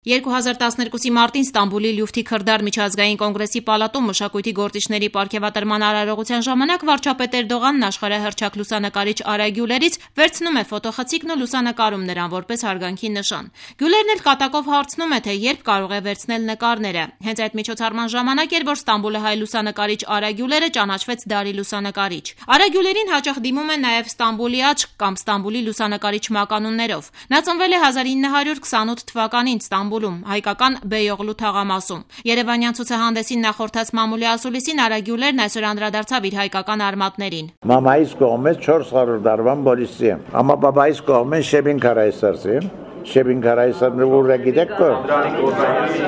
2012-ի մարտին Ստամբուլի Լյուֆթի Քրդար միջազգային կոնգրեսի պալատում մշակույթի գործիչների պարգևատրման արարողության ժամանակ վարչապետ Էրդողանն աշխարհահռչակ լուսանկարիչ Արա Գյուլերից վերցնում է ֆոտոխցիկն ու լուսանկարում նրան որպես հարգանքի նշան։ Գյուլերն էլ կատակով հարցնում է, թե երբ կարող է վերցնել նկարները։ Հենց այդ միջոցառման ժամանակ էր, որ Ստամբուլահայ լուսանկարիչ Արա Գյուլերը ճանաչվեց դարի լուսանկարիչ։ Արա Գյուլերին հաճախ դիմում են նաև Ստամբուլի աչք կամ Ստամբուլի լուսանկարիչ մականուններով։ Նա ծնվել է 1928 թվականին Ստամբուլում, հայկական Բեյօղլու թաղամասում։ Երևանյան ցուցահանդեսին նախորդած մամուլի ասուլիսին Արա Գյուլերն այսօր անդրադարձավ իր հայկական արմատներին։ Մամայիս կողմից 400 տարվան պոլիսի եմ, amma բաբայիս կողմից Շեբին Քարայսարսի եմ։ Շեբին Քարայսարն ուր է գիտեք կո։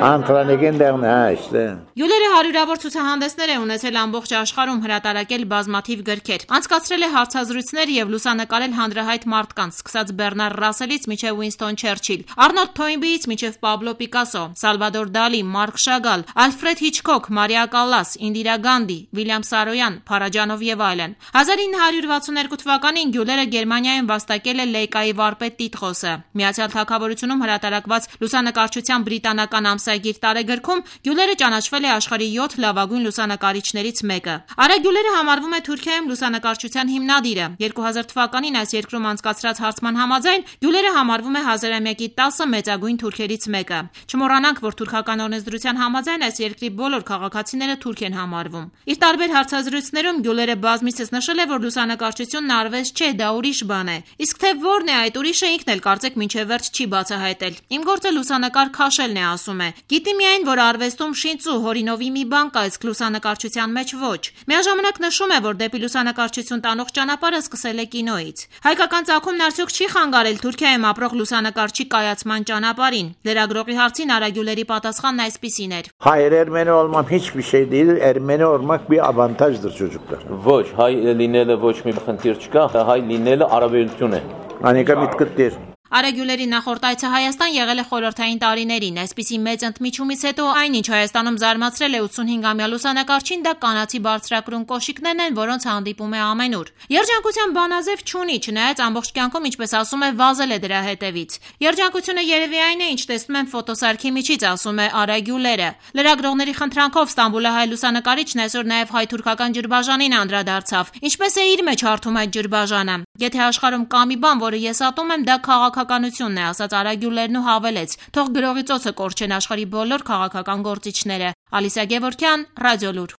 Անտրանիկին դեղն է, այստե։ Գյուլերը հարյուրավոր ցուցահանդեսներ է ունեցել ամբողջ աշխարհում, հրատարակել բազմաթիվ գրքեր։ Անցկացրել է հարցազրույցներ եւ լուսանկարել հանրահայտ մարդկանց, սկսած Բեռնար Ռասելից մինչեւ Ուինստոն Չերչիլ, Արնոլդ Թոյնբիից մինչեւ Պաբլո Պիկասո, Սալվադոր Դալի, Մարկ Շագալ, Ալֆրեդ Հիչքոք, Մարիա Կալլաս, Ինդիրա Գանդի, Վիլյամ Սարոյան, Փարաջանով եւ այլն։ 1962 թվականին Գյուլերը Գերմանիայում վաստակել է Լեյկայի վարպետ տիտղոսը։ Միացյալ Թագավորությունում հրատարակված լուսանկարչության բրիտանական ամսագիր տարեգրքում Գյուլերը ճանաչվել է աշխարհի 7 լավագույն լուսանկարիչներից մեկը։ Արա Գյուլերը համարվում է Թուրքիայում լուսանկարչության հիմնադիրը։ 2000 թվականին այս երկրում անցկացրած հարցման համաձայն Գյուլերը համարվում է հազարամյակի 10 մեծագույն թուրքերից մեկը։ Չմոռանանք, որ թուրքական օրենսդրության համաձայն այս երկրի բոլոր քաղաքացիները թուրք են համարվում։ Իր տարբեր հարցազրույցներում Գյուլերը բազմիցս նշել է, որ լուսանկարչությունն արվեստ չէ, դա ուրիշ բան է։ Իսկ թե որն է այդ ուրիշը ինքն էլ կարծեք մինչև վերջ չի բացահայտել։ Իմ գործը լուսանկար քաշելն է, ասում է։ Գիտի միայն, որ արվեստում շինծու հորինովի մի բան կա, իսկ լուսանկարչության մեջ ոչ։ Միաժամանակ նշում է, որ դեպի լուսանկարչություն տանող ճանապարհը սկսել է կինոից։ Հայկական ծագումն արդյոք չի խանգարել Թուրքիայում ապրող լուսանկարչի կայացման ճանապարհին։ Լրագրողի հարցին Արա Գյուլերի պատասխանն այսպիսին էր. Հայեր Ermeni olmam hiçbir şey değil. Ermeni olmak bir avantajdır çocuklar. Ոչ, հայ լինելը ոչ մի խնդիր չկա, հայ լինելը առավելություն է։ Անիկա միտքդ դեր։ Արա Գյուլերի նախորդ այցը Հայաստան եղել է խորհրդային տարիներին։ Այսպիսի մեծ ընդմիջումից հետո այնինչ Հայաստանում զարմացրել է 85-ամյա լուսանկարչին, դա կանացի բարձրակրուն կոշիկներն են, որոնց հանդիպում է ամենուր։ Երջանկության բանաձև չունի, չնայած ամբողջ կյանքում, ինչպես ասում է, վազել է դրա հետևից։ Երջանկությունը երևի այն է, ինչ տեսնում եմ ֆոտոսարքի միջից, ասում է Արա Գյուլերը։ Լրագրողների խնդրանքով Ստամբուլահայ լուսանկարիչն այսօր նաև հայ-թուրքական ջրբաժանին անդրադարձավ։ Ինչպես է իր մեջ հարթում այդ ջրբաժանը։ Եթե աշխարհում կա մի բան, որը ես ատում եմ, դա քաղաքականությունն է, ասաց Արա Գյուլերն ու հավելեց. թող գրողի ծոցը կորչեն աշխարհի բոլոր քաղաքական գործիչները։ Ալիսա Գևորգյան, Ռադիոլուր։